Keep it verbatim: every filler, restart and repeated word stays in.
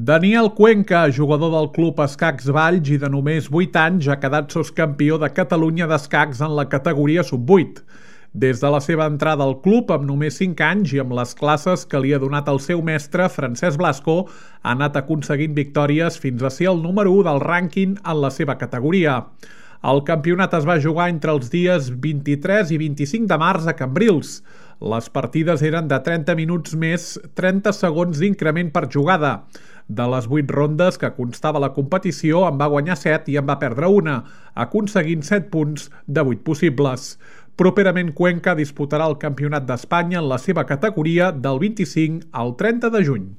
Daniel Cuenca, jugador del club Escacs Valls i de només vuit anys, ha quedat soscampió de Catalunya d'escacs en la categoria sub vuit. Des de la seva entrada al club, amb només cinc anys i amb les classes que li ha donat el seu mestre, Francesc Blasco, ha anat aconseguint victòries fins a ser el número u del rànquing en la seva categoria. El campionat es va jugar entre els dies vint-i-tres i vint-i-cinc de març a Cambrils. Les partides eren de trenta minuts més trenta segons d'increment per jugada. De les vuit rondes que constava la competició, en va guanyar set i en va perdre una, aconseguint set punts de vuit possibles. Properament Cuenca disputarà el Campionat d'Espanya en la seva categoria del vint-i-cinc al trenta de juny.